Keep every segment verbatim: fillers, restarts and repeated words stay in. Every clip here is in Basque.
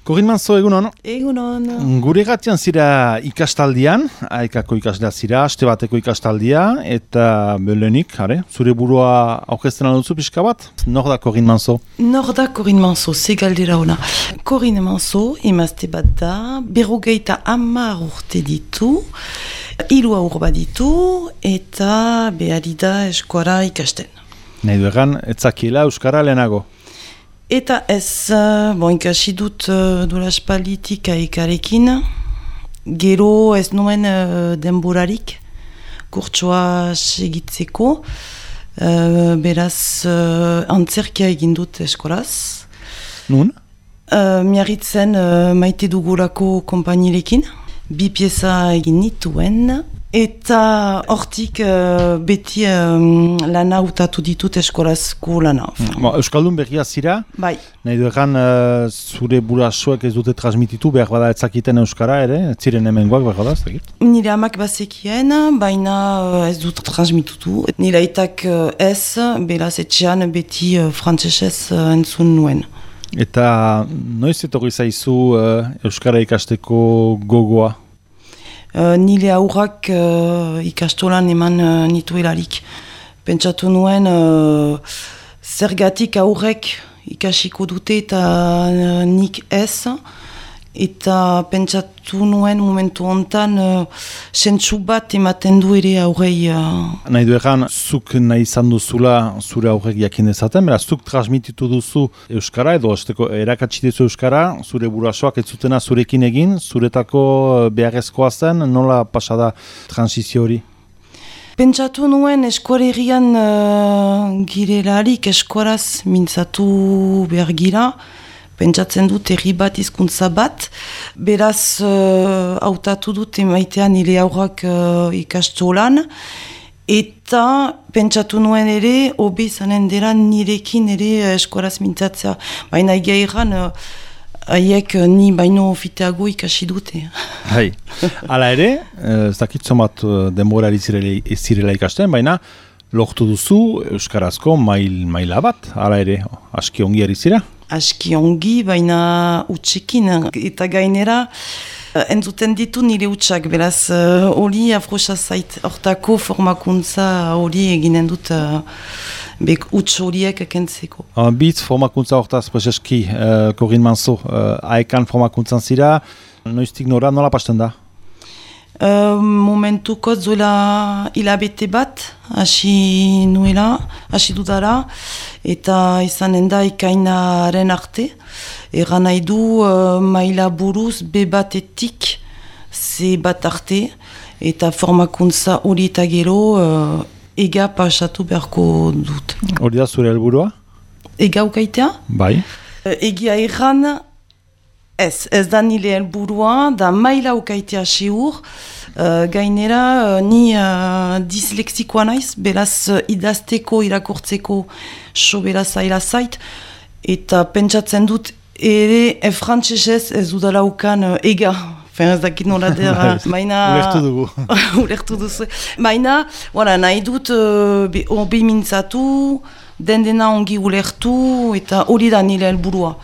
Korin Manzo, egunon? Egunon. Gure gatian zira ikastaldian, aekako ikaslea zira, aste bateko ikastaldia, eta belenik, are, zure burua aurkezten alduzu pixka bat? Nor da Korin Manzo? Nor da Korin Manzo, ze galdera ona. Korin Manzo, emazte bat da, berrogeita hamar urte ditu, hiru haur bat ditu, eta behari da eskuara ikasten. Nahi du egan, etzakiela euskara lehenago? Eta ez, uh, bon, ikasi dut uh, duela espalditik aekarekin, gero ez nuen uh, denborarik, kurtsoa segitzeko, uh, beraz uh, antzerkia egin dut eskolaz. Nun? Uh, miarritzen uh, maite dugulako konpainilekin, bi pieza egin nituen, eta hortik uh, beti um, lana utatu ditut eskolazko lana. Ba, Euskaldun berria zira, Bai. nahi du egan uh, zure burasoek ez dute transmititu, behar bada etzakiten euskara ere, ez ziren hemengoak behar bada, ez dakit? Nire amak bazekien, baina uh, ez dut transmitutu. Nire aitak uh, ez, beraz etxean beti uh, frantsesez uh, entzun nuen. Eta noiz etorri zaizu uh, euskara ikasteko gogoa? Uh, nire aurrak uh, ikastolan eman uh, nituelarik. Pentsatu nuen uh, zergatik aurrek ikasiko dute eta uh, nik ez. Eta pentsatu nuen momentu hontan uh, sentsu bat ematen du ere aurrei. Uh... Nahi du egan, zuk nahi izan duzula zure aurrek jakin dezaten, beraz, zuk transmititu duzu euskara, edo esteko erakatsi duzu euskara, zure burasoak ez zutena zurekin egin, zuretako beharrezkoa zen, nola pasada transizio hori? Pentsatu nuen eskualerian uh, girelarik eskuaraz mintzatu behar gira, pentsatzen dut herri bat hizkuntza bat, beraz uh, hautatu dut emaitean nire aurrak uh, ikastolan, eta pentsatu nuen ere, hobe izanen dela nirekin ere eskuaraz mintzatzea. Baina egia erran, uh, haiek uh, ni baino fiteago ikasi dute. Hai, hala ere, ez dakitzo bat denbora ez zirela ikasten, baina lortu duzu euskarazko mail, maila bat, hala ere, aski ongi ari zira? Aski ongi, baina utxekin, eta gainera entzuten ditu nire utxak, beraz hori uh, afrosa zait, hortako formakuntza hori eginen dut uh, bek utx horiek kentzeko. Uh, Bitz formakuntza hortaz, prezeski, uh, Korin Manzo, uh, aekan formakuntzan zira, noiztik nora, nola pasten da? Uh, momentuko zuela hilabete bat, hasi nuela, hasi dudara, eta izanen da ikainaren arte. Egan nahi du uh, maila buruz be batetik ze bat arte, eta formakuntza hori eta gero uh, ega pasatu beharko dut. Hori da zure helburua? Ega ukaitea? Bai. Uh, egia erran, Ez, ez da nire helburua, da maila ukaitea seur, uh, gainera uh, ni uh, disleksikoa naiz, beraz uh, idazteko, irakurtzeko so beraz zaila zait, eta pentsatzen dut ere e frantsesez ez dudala ukan uh, ega, fen ez dakit nola dira, baina... Ulertu dugu. Ulertu duzu. Baina, voilà, nahi dut uh, hobi mintzatu, den dena ongi ulertu, eta hori da nire helburua.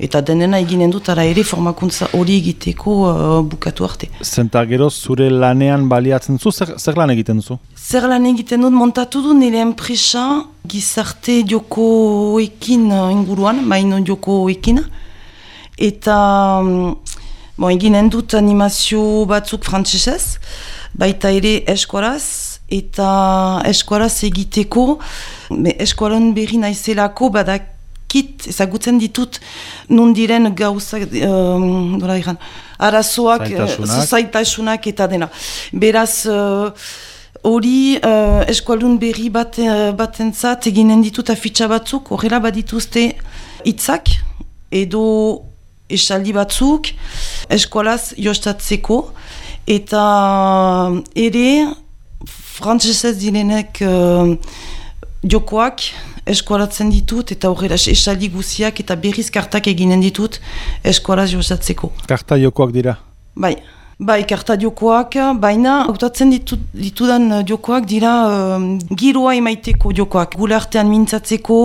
Eta denena eginen dut, ara ere formakuntza hori egiteko uh, bukatu arte. Zenta gero zure lanean baliatzen duzu, zer, zer lan egiten duzu? Zer lan egiten dut, montatu du nire enpresa gizarte jokoekin inguruan, maino jokoekin. Eta bon, eginen dut animazio batzuk frantsesez, baita ere eskuaraz, eta eskuaraz egiteko, eskualan berri naizelako badak, Kit, ezagutzen ditut, nun diren gauzak, um, dola iran, arazoak, zaitasunak. zaitasunak eta dena. Beraz, hori uh, uh, eskualdun berri bat, uh, batentzat eginen ditut afitxa batzuk, horrela badituzte hitzak edo esaldi batzuk, eskualaz jostatzeko, eta ere, frantsesez direnek uh, jokoak, eskualatzen ditut, eta horrela esaldi guziak eta berriz kartak eginen ditut eskualaz jozatzeko. Karta jokoak dira? Bai, Bai, karta jokoak, baina hautatzen ditu, ditudan jokoak dira uh, giroa emaiteko jokoak. Gure artean mintzatzeko,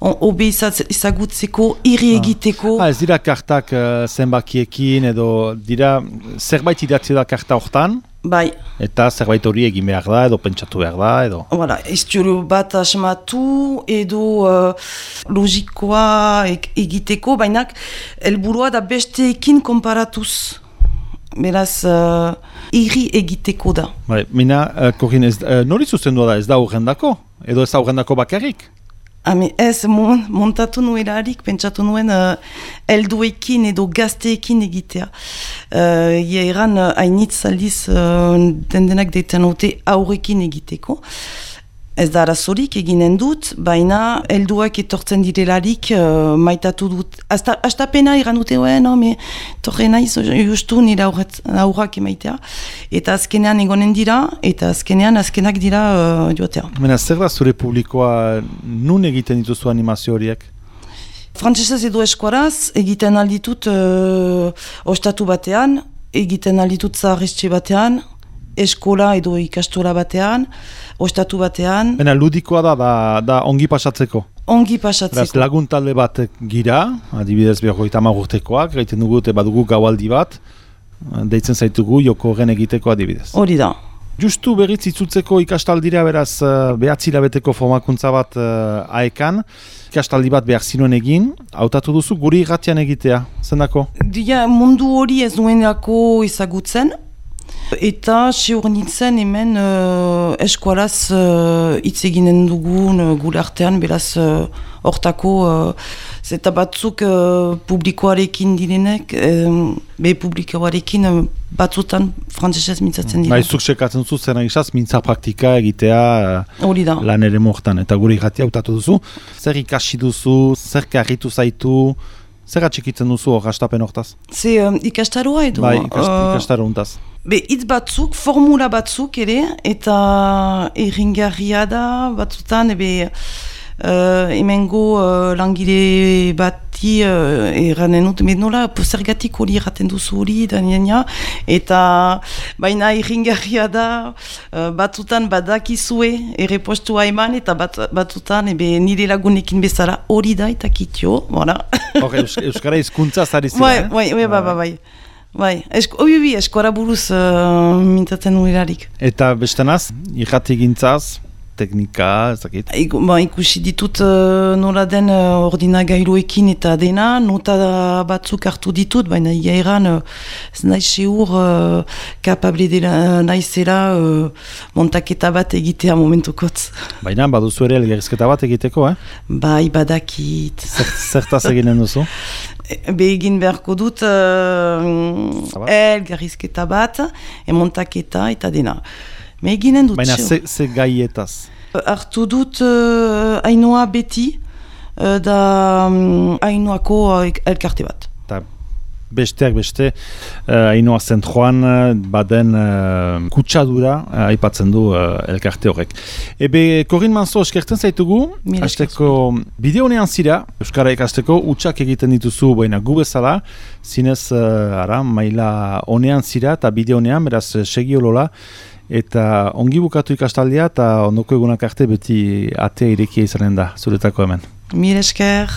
hobe izagutzeko, irri egiteko. Ah, ez dira kartak uh, zenbakiekin edo dira zerbait idatzi da karta hortan? Bai. Eta zerbait hori egin behar da edo pentsatu behar da edo? Voilà, istiolo bat asmatu edo uh, logikoa egiteko, baina helburua da besteekin konparatuz. Beraz, uh, irri egiteko da. Bai, mina, uh, Korin, ez, uh, nori zuzendua da, ez da horrendako? Edo ez da horrendako bakarrik? Hame, ez, mon, montatu nuelarik, pentsatu nuen uh, elduekin edo gazteekin egitea. Uh, Ia eran, uh, hainitz aldiz uh, dendenak deitzen haute aurrekin egiteko. Ez da arazorik eginen dut, baina helduak etortzen direlarik uh, maitatu dut. Astapena iran dute, oe, no, me torre naiz justu nire aurrak emaitea. Eta azkenean egonen dira, eta azkenean azkenak dira uh, joatea. Mena, zer da zure publikoa nun egiten dituzu animazio horiek? Frantsesez edo eskuaraz egiten alditut uh, ostatu batean, egiten alditut zaharriztxe batean, eskola edo ikastola batean, ostatu batean. Bena, ludikoa da, da, da ongi pasatzeko? Ongi pasatzeko. Beraz, lagun talde bat gira, adibidez berrogeita hamar urtekoak, gaiten dugu eta badugu gaualdi bat, deitzen zaitugu joko horren egiteko adibidez. Hori da. Justu berriz itzutzeko ikastaldira, beraz, behatzi hilabeteko formakuntza bat uh, aekan, ikastaldi bat behar zinuen egin, hautatu duzu guri irratian egitea, zendako? Dia, mundu hori ez duenako ezagutzen, eta seur nintzen hemen uh, eskualaz hitz uh, eginen dugun uh, gure artean, beraz hortako uh, zeta batzuk uh, publikoarekin direnek, um, be publikoarekin uh, batzutan frantzesez mintzatzen dira. Baizuk sekatzen zu zen egizaz, mintza praktika egitea uh, lan ere mortan, eta gure irratia hautatu duzu. Zer ikasi duzu, zer karritu zaitu, zer atxikitzen duzu hor hastapen hortaz? Ze um, ikastaroa edo? Bai, ikast, uh, ikastaro untaz. Be, hitz batzuk, formula batzuk ere, eta erringarria da batzutan, ebe uh, emengo uh, langile bati uh, eranen dut, me nola zergatik hori erraten duzu hori, da nina, eta baina erringarria da uh, batzutan badakizue errepostua eman, eta bat, batzutan ebe nire lagunekin bezala hori da eta kitio, voilà. Hor, Euskara hizkuntza zari zira, eh? Bai, bai, bai, bai, bai. Bai, esko, obi, obi, eskora buruz uh, mintzatzen nuelarik. Eta bestenaz, irrati gintzaz, teknika, ez dakit? Iku, ba, ikusi ditut uh, nola den uh, ordinagailuekin eta dena, nota batzuk hartu ditut, baina ia eran uh, ez nahi seur uh, kapable dela naizela uh, montaketa bat egitea momentukotz. Baina baduzu ere elgerizketa bat egiteko, eh? Bai, badakit. Zertaz eginen duzu? Be egin beharko dut uh, elgarrizketa bat, emontaketa eta dena. Me eginen dut. Baina ze, ze gaietaz? Artu dut uh, Ainoa beti uh, da um, Ainoako uh, elkarte bat. Ta besteak beste, uh, Ainoa zentroan uh, baden uh, kutsadura uh, aipatzen du uh, elkarte horrek. Ebe, Korin Manzo, eskertzen zaitugu, hasteko bideonean zira, Euskara ikasteko, utxak egiten dituzu, baina gu bezala, zinez, uh, ara, maila honean zira, eta bideonean, beraz, segi olola, eta ongi bukatu ikastaldia, eta ondoko egunak arte beti atea irekia izanen da, zuretako hemen. Mil esker.